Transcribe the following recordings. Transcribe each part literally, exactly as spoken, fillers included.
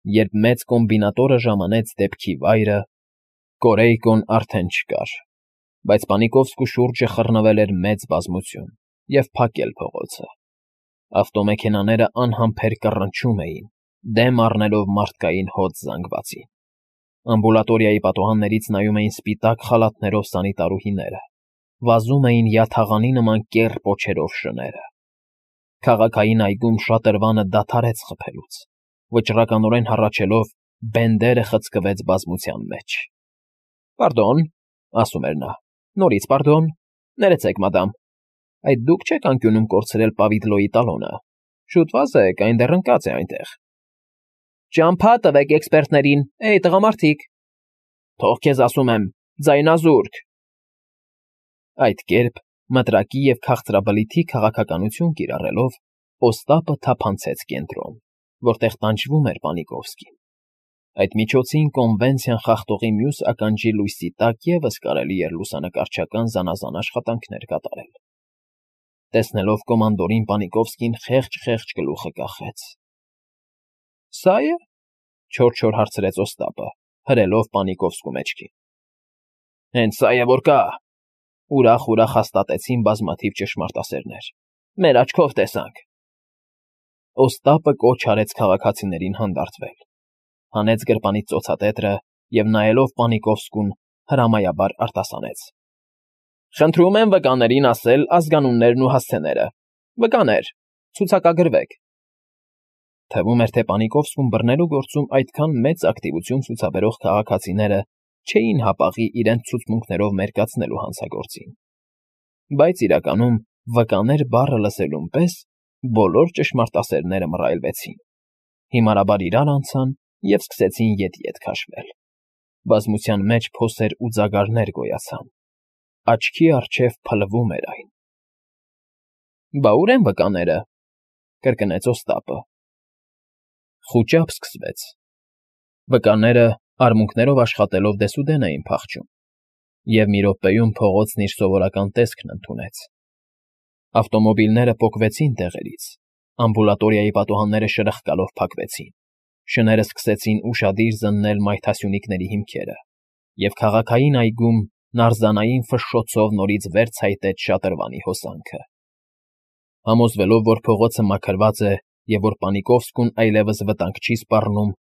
երբ մեծ կոմբինատորը ժամանեց դեպքի վայրը, Կորեյկոն արդեն չկար, բայց Պանիկովսկու շուրջը խռնվել էր մեծ բազմություն և փակել փողոցը։ Ավտոմեքենաները անհամբեր կռնչում էին, դեմ առնելով մարդկային հոծ զանգվածին։ Ամբուլատորիայի պատուհաններից նայում էին սպիտակ խալաթներով սանիտարուհիները, վազում էին յաթաղանի նման կեռ պոչերով շները։ Քաղաքային այգում շատրվանը դադարեց խփելուց, վճռականորեն հառաչելով, բենդերը խցկվեց բազմության մեջ։ ֊ Պարդոն,֊ ասում էր նա,֊ նորից պարդոն, ներեցեք, մադամ, այդ դուք չեք անկյունում կորցրել պավիլոյի տալոնը, շուտ վազեք, այն դեռ ընկած է այնտեղ։ ֊ Ճամփա տվեք էքսպերտներին, էյ, տղամարդիկ… Թող քեզ ասում եմ, ձայնազուրկ… Այդ կերպ, մտրակի և քաղցրաբլիթի քաղաքականություն կիրառելով, Օստապը թափանցեց կենտրոն, որտեղ տանջվում էր Պանիկովսկին։ Այդ միջոցին կոնվենցիան խախտողի մյուս ականջի լույսի տակ ևս կարելի էր լուսանկարչական զանազան աշխատանքներ կատարել։ Տեսնելով կոմանդորին, Պանիկովսկին խեղճ֊խեղճ գլուխը կախեց։ ֊ Սա է,֊ չոր-չոր հարցրեց Օստապը, հրելով Պանիկովսկու մեջքին։ ֊ Հենց սա է, որ կա,֊ ուրախ֊ուրախ հաստատեցին բազմաթիվ ճշմարտասերներ,֊ մեր աչքով տեսանք։ Օստապը կոչ արեց քաղաքացիներին հանդարտվել, հանեց գրպանից ծոցատետրը և, նայելով Պանիկովսկուն, հրամայաբար արտասանեց. «Խնդրում եմ վկաներին ասել ազգանուններն ու հասցեները։ Վկաներ, ցուցակագրվեք»։ Թվում էր, թե Պանիկովսկուն բռնելու գործում այդքան մեծ ակտիվություն ցուցաբերող քաղաքացիները չէին հապաղի իրենց ցուցմունքներով մերկացնելու հանցագործին։ Բայց իրականում, վկաներ բառը լսելուն պես, բոլոր ճշմարտասերները մռայլվեցին, հիմարաբար իրար անցան և սկսեցին ետ֊ետ քաշվել։ Բազմության մեջ փոսեր ու ձագարներ գոյացան, աչքի առջև փլվում էր այն։ ֊ Բա ո՞ւր են վկաները,֊ կրկնեց Օստապը։ Խուճապ սկսվեց։ Վկաները, արմունկներով աշխատելով, դեսուդեն էին փախչում, և մի րոպեում փողոցն իր սովորական տեսքն ընդունեց։ Ավտոմոբիլները պոկվեցին տեղերից, ամբուլատորիայի պատուհանները շրխկալով փակվեցին, շները սկսեցին ուշադիր զննել մայթասյունիկների հիմքերը, և քաղաքային այգում նարզանային ֆշշոցով նորից վեր ցայտեց շատրվանի հոսանքը։ Համոզվելով, որ փողոցը մաքրված է և որ Պանիկովսկուն այլևս վտանգ չի սպառնում,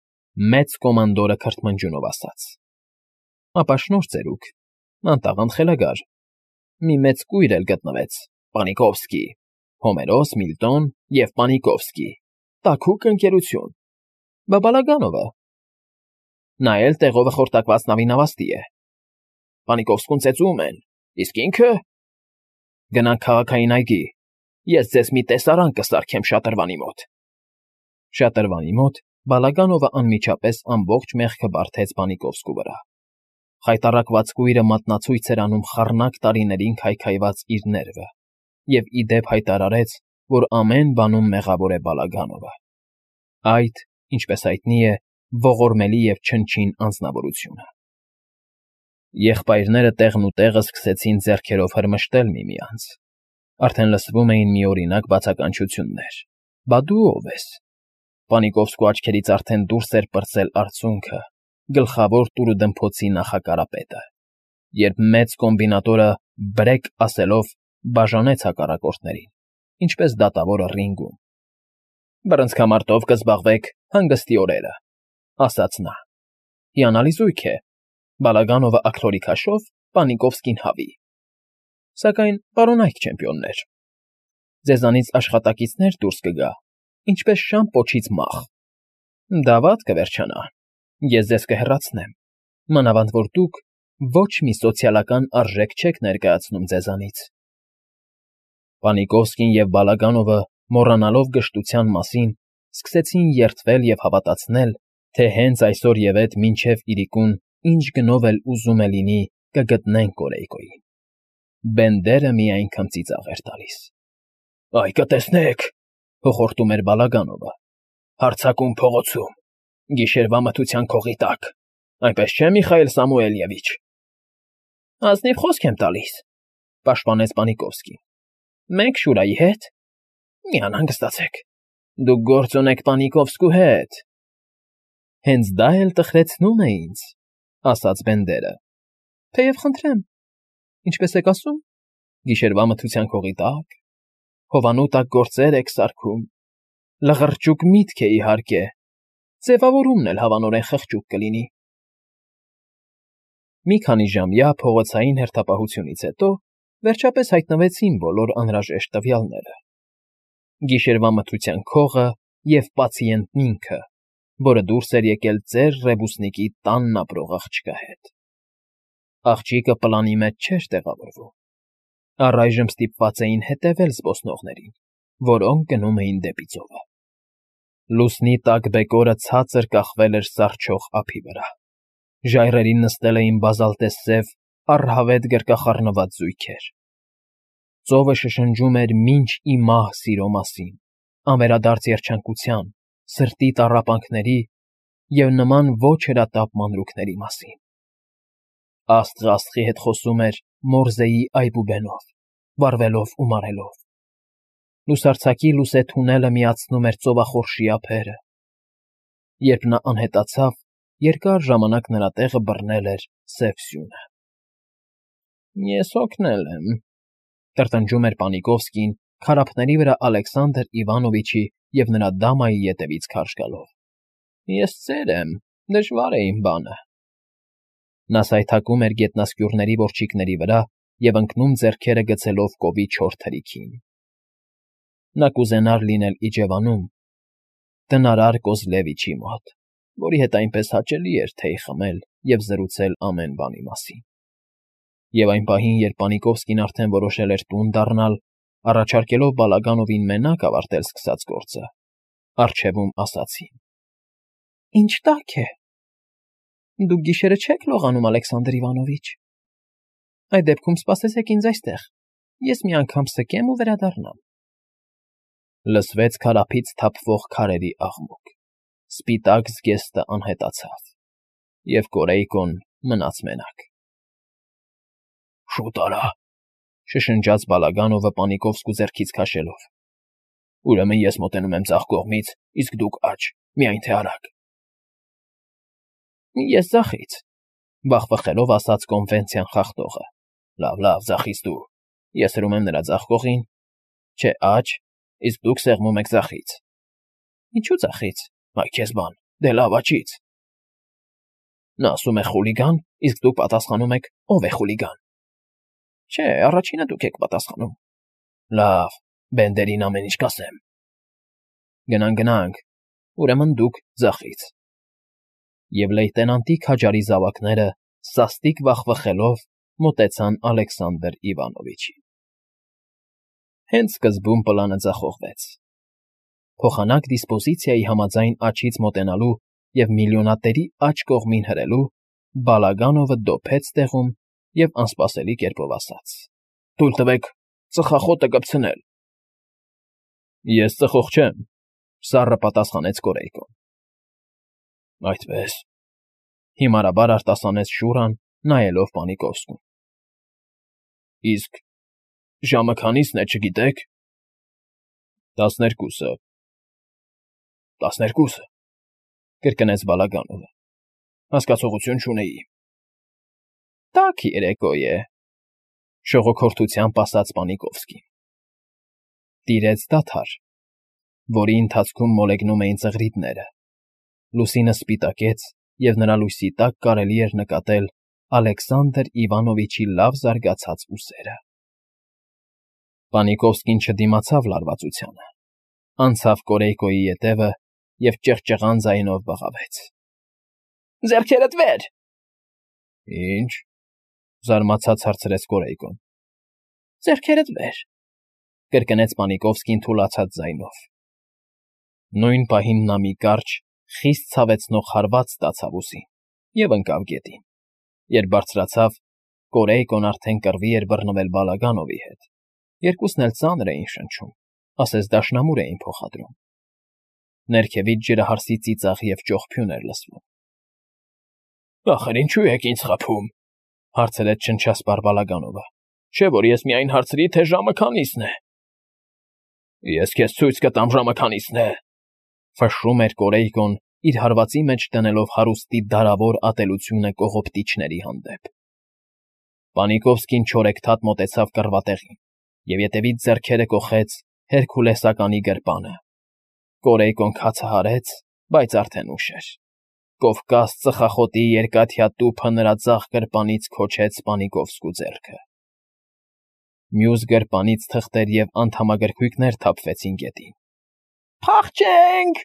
մեծ կոմանդորը քրթմնջյունով ասաց. ֊ Ապա շնորհ ծերուկ, անտաղանդ խելագար, մի մեծ կույր էլ գտնվեց, Պանիկովսկի, Հոմերոս, Միլտոն և Պանիկովսկի, տաքուկ ընկերություն, բա Բալագանովը… Նա էլ տեղովը խորտակված նավի նավաստի է։ Պանիկովսկուն ծեծում են, իսկ ինքը… Գնանք քաղաքային այգի, ես ձեզ մի տեսարան կսարքեմ շատրվանի մոտ… Շատրվանի մոտ Բալագանովը անմիջապես ամբողջ մեղքը բարդեց Պանիկովսկու վրա։ Խայտառակված կույրը մատնացույց էր անում խառնակ տարիներին քայքայված իր ներվը և ի դեպ հայտարարեց, որ ամեն բանում մեղավոր է Բալագանովը, այդ, ինչպես հայտնի է, ողորմելի և չնչին անձնավորությունը։ Եղբայրները տեղն ու տեղը սկսեցին ձեռքերով հրմշտել միմյանց, արդեն լսվում էին միօրինակ բացականչություններ. «Բա դու ո՞վ ես»։ Պանիկովսկու աչքերից արդեն դուրս էր պրծել արցունքը, գլխավոր տուրուդմփոցի նախակարապետը, երբ մեծ կոմբինատորը «բրեկ» ասելով բաժանեց հակառակորդներին, ինչպես դատավորը ռինգում։ «Բռնցքամարտով կզբաղվեք հանգստի օրերը», ասաց նա։ «Հիանալի զույգ է, Բալագանովը աքլորի քաշով, Պանիկովսկին հավի։ Սակայն, պարոնայք չեմպիոններ, ձեզանից աշխատակիցներ դուրս կգա, ինչպես շան պոչից մախ։ Դա վատ կվերջանա, ես ձեզ կհեռացնեմ, մանավանդ որ դուք ոչ մի սոցիալական արժեք չեք ներկայացնում ձեզանից»։ Պանիկովսկին և Բալագանովը, մոռանալով գժտության մասին, սկսեցին երդվել և հավատացնել, թե հենց այսօր և մինչև իրիկուն ինչ գնով էլ ուզում է լինի, կգտնեն Կորեյկոյին։ Բենդերը միայն քմծիծաղ էր տալիս։ ֊ Այ կտեսնեք,֊ հոխորտում էր Բալագանովը,֊ հարձակում փողոցում, գիշերվա մթության քողի տակ, այնպես չէ, Միխայել Սամուելևիչ։ ֊ Ազնիվ խոսք եմ տալիս,֊ պաշտպանեց Պանիկովսկին։ ֊ Մենք Շուրայի հետ… Մի անհանգստացեք, դուք գործ ունեք Պանիկովսկու հետ… Հենց դա էլ տխրեցնում է ինձ, ասաց Բենդերը։ Թեև խնդրեմ, ինչպես եք ասում, գիշերվա մթության քողի տակ, հովանու տակ գործեր եք սարքում, լղրճուկ միտք է իհարկե, ձևավորումն էլ հավանորեն խղճուկ կլինի։ Մի քանի ժամյա փողոցային հերթապահությունից հետո վերջապես հայտնվեցին բոլոր անհրաժեշտ տվյալները. գիշերվա մթության քողը և պացիենտն ինքը, որը դուրս էր եկել ծեր Ռեբուսնիկի տանն ապրող աղջկա հետ։ Աղջիկը պլանի մեջ չէր տեղավորվում։ Առայժմ ստիպված էին հետևել զբոսնողներին, որոնք գնում էին դեպի ծովը։ Լուսնի տակ բեկորը ցածր կախվել էր սառչող ափի վրա։ Ժայռերին նստել էին բազալտեսև, առհավետ գրկախառնված զույգեր։ Ծովը շշնջում էր մինչ ի մահ սիրո մասին, անվերադարձ երջանկության, սրտի տառապանքների և նման ոչ հրատապ մանրուքների մասին։ Աստղը աստղի հետ խոսում էր Մորզեի այբուբենով, վառվելով ու մարելով։ Լուսարձակի լուսե թունելը միացնում էր ծովախորշի ափերը։ Երբ նա անհետացավ, երկար ժամանակ նրա տեղը բռնել էր սև սյունը։ Ես հոգնել եմ, տրտնջում էր Պանիկովսկին քարափների վրա Ալեքսանդր Իվանովիչի և նրա դամայի ետևից քարշ գալով։ Ես ծեր եմ, դժվար է իմ բանը։ Նա սայթաքում էր գետնասկյուռների որջիկների վրա և ընկնում ձեռքերը գցելով կովի չոր թրիքին։ Նա կուզենար լինել իջևանում, տնարար Կոզլևիչի մոտ, որի հետ այնպես հաճելի էր թեյ խմել և զրուցել ամեն բանի մասին։ Եվ այն պահին, երբ Պանիկովսկին արդեն որոշել էր տուն դառնալ, առաջարկելով Բալագանովին մենակ ավարտել սկսած գործը, առջևում ասացին. Ինչ տաք է։ Դուք գիշերը չեք լողանում, Ալեքսանդր Իվանովիչ։ Այդ դեպքում սպասեցեք ինձ այստեղ, ես մի անգամ սկեմ ու վերադառնամ։ Լսվեց քարափից թափվող քարերի աղմուկ, սպիտակ զգեստը անհետացավ, և Կորեյկոն մնաց մենակ։ Շուտ արա, շշնջաց Բալագանովը Պանիկովսկու ձեռքից քաշելով։ Ուրեմն ես մոտենում եմ ձախ կողմից, իսկ դուք աջ, միայն թե արագ։ Ես ձախից, վախվխելով ասաց կոնվենցիան խախտողը։ Լավ, լավ, ձախից դու, ես հրում եմ նրա ձախ կողին, չէ աջ, իսկ դուք սեղմում եք ձախից։ Ինչու ձախից, այ քեզ բան, դե լավ աջից։ Նա ասում է խուլիգան, իսկ դուք պատասխանում եք ով է խուլիգան։ Չէ, առաջինը դուք եք պատասխանում։ Լավ, Բենդերին ամեն ինչ կասեմ։ Գնանք, գնանք, ուրեմն դուք ձախից։ Եվ լեյտենանտի քաջարի զավակները, սաստիկ վախվխելով, մոտեցան Ալեքսանդր Իվանովիչին։ Հենց սկզբում պլանը ձախողվեց։ Փոխանակ դիսպոզիցիայի համաձայն աջից մոտենալու և միլիոնատերի աջ կողմին հրելու, Բալագանովը դոփեց տեղում և անսպասելի կերպով ասաց. Թույլ տվեք ծխախոտը կպցնել։ Ես ծխող չեմ, սառը պատասխանեց Կորեյկոն։ Այդպես, հիմարաբար արտասանեց Շուրան, նայելով Պանիկովսկուն։ Իսկ ժամը քանիսն է, չգիտեք։ Տասներկուսը։ Տասներկուսը, կրկնեց Բալագանովը։ Հասկացողություն չունեի։ Տաք երեկո է, շողոքորթությամբ ասաց Պանիկովսկին։ Տիրեց դադար, որի ընթացքում մոլեգնում էին ծղրիդները։ Լուսինը սպիտակեց, և նրա լույսի տակ կարելի էր նկատել Ալեքսանդր Իվանովիչի լավ զարգացած ուսերը։ Պանիկովսկին չդիմացավ լարվածությանը, անցավ Կորեյկոյի ետևը և ճղճղան ձայնով բղավեց. Ձեռքերդ վեր։ Ինչ, զարմացած հարցրեց Կորեյկոն։ Ձեռքերդ վեր, կրկնեց Պանիկովսկին թուլացած ձայնով։ Նույն պահին նա մի կարճ, խիստ ցավեցնող հարված ստացավ ուսին և ընկավ գետին։ Երբ բարձրացավ, Կորեյկոն արդեն կռվի էր բռնվել Բալագանովի հետ։ Երկուսն էլ ծանր էին շնչում, ասես դաշնամուր էին փոխադրում։ Ներքևից ջրահարսի ծիծաղ և ճողփյուն էր լսվում։ Ախր ինչու եք ինձ խաբում, հարցրեց շնչասպառ Բալագանովը։ Չէ՞ որ ես միայն հարցրի, թե ժամը քանիսն է։ Ես քեզ ցույց կտամ ժամը քանիսն է, ֆշշում էր Կորեյկոն իր հարվածի մեջ դնելով հարուստի դարավոր ատելությունը կողոպտիչների հանդեպ։ Պանիկովսկին չորեքթաթ մոտեցավ կռվատեղին և ետևից ձեռքերը կոխեց Հերքուլեսականի գրպանը։ Կորեյկոն քացահարեց, բայց արդեն ուշ էր։ Կովկաս ծխախոտի երկաթյա տուփը նրա ձախ գրպանից քոչեց Պանիկովսկու ձեռքը։ Մյուս գրպանից թղթեր և անդամագրքույկներ թափվեցին գետին։ «Փախչե՜նք»,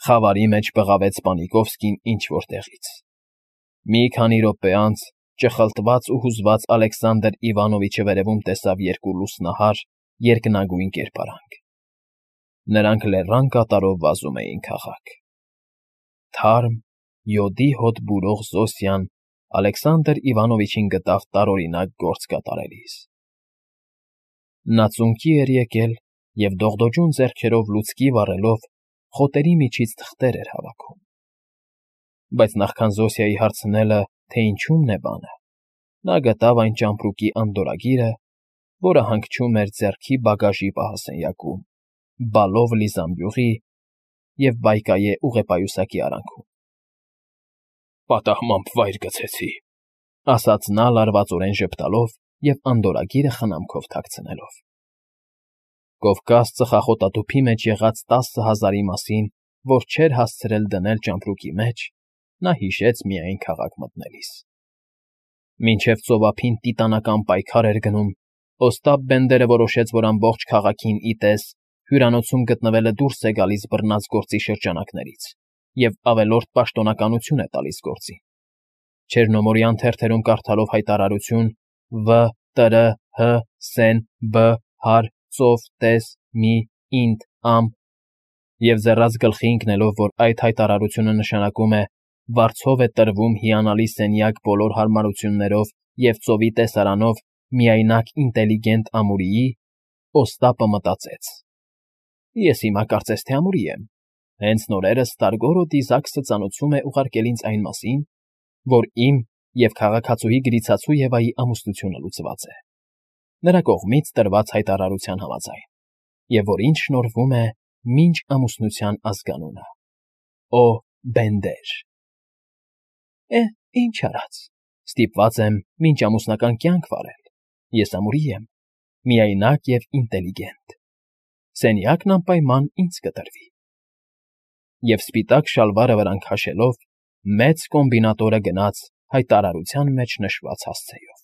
խավարի մեջ բղավեց Պանիկովսկին ինչ֊որ տեղից։ Մի քանի րոպե անց ճխլտված ու հուզված Ալեքսանդր Իվանովիչը վերևում տեսավ երկու լուսնահար, երկնագույն կերպարանք։ Նրանք լեռան կատարով վազում էին քաղաք։ Թարմ, յոդի հոտ բուրող Զոսյան Ալեքսանդր Իվանովիչին գտավ տարօրինակ գործ կատարելիս։ Նա ծունկի էր եկել և դողդոջուն ձեռքերով լուցկի վառելով խոտերի միջից թղթեր էր հավաքում։ Բայց նախքան Զոսիայի հարցնելը, թե ինչումն է բանը, նա գտավ այն ճամպրուկի անդորրագիրը, որը հանգչում էր ձեռքի բագաժի պահասենյակում, բալով լի զամբյուղի և բայկայե ուղեպայուսակի արանքում։ «Պատահմամբ վայր գցեցի», ասաց նա լարվածորեն ժպտալով և անդորրագիրը խնամքով թաքցնելով։ Կովկաս ծխախոտատուփի մեջ եղած տասը հազարի մասին, որ չէր հասցրել դնել ճամպրուկի մեջ, նա հիշեց միայն քաղաք մտնելիս։ Մինչև ծովափին տիտանական պայքար էր գնում, Օստապ Բենդերը որոշեց, որ ամբողջ քաղաքին ի տես հյուրանոցում գտնվելը դուրս է գալիս բռնած գործի շրջանակներից և ավելորդ պաշտոնականություն է տալիս գործին։ Չեռնոմորյան թերթերում կարդալով հայտարարություն «Վ. Տ. Ռ. Հ. Սեն. Բ. Հար. Ծով. Տես. Մի. Ինդ. Ամպ» և ձեռաց գլխի ընկնելով, որ այդ հայտարարությունը նշանակում է «վարձով է տրվում հիանալի սենյակ բոլոր հարմարություններով և ծովի տեսարանով միայնակ ինտելիգենտ ամուրիի», Օստապը մտածեց. «Ես հիմա կարծես թե ամուրի եմ։ Հենց նորերս Ստարգորոդի Զաքսը ծանոթում է ուղարկել ինձ այն մասին, որ իմ և քաղաքացուհի Գրիցածու Եվայի ամուսնությունը լուծված է, նրա կողմից տրված հայտարարության համաձայն, և որ ինձ շնորհվում է մինչ ամուսնության ազգանունը։ Օ. Բենդեր։ Է, ինչ արած, ստիպված եմ մինչ ամուսնական կյանք վարել։ Ես ամուրի եմ, միայնակ և ինտելիգենտ։ Սենյակն անպայման ինձ կտրվի։ Եվ սպիտակ շալվարը վրան քաշելով, մեծ կոմբինատորը գնաց հայտարարության մեջ նշված հասցեով։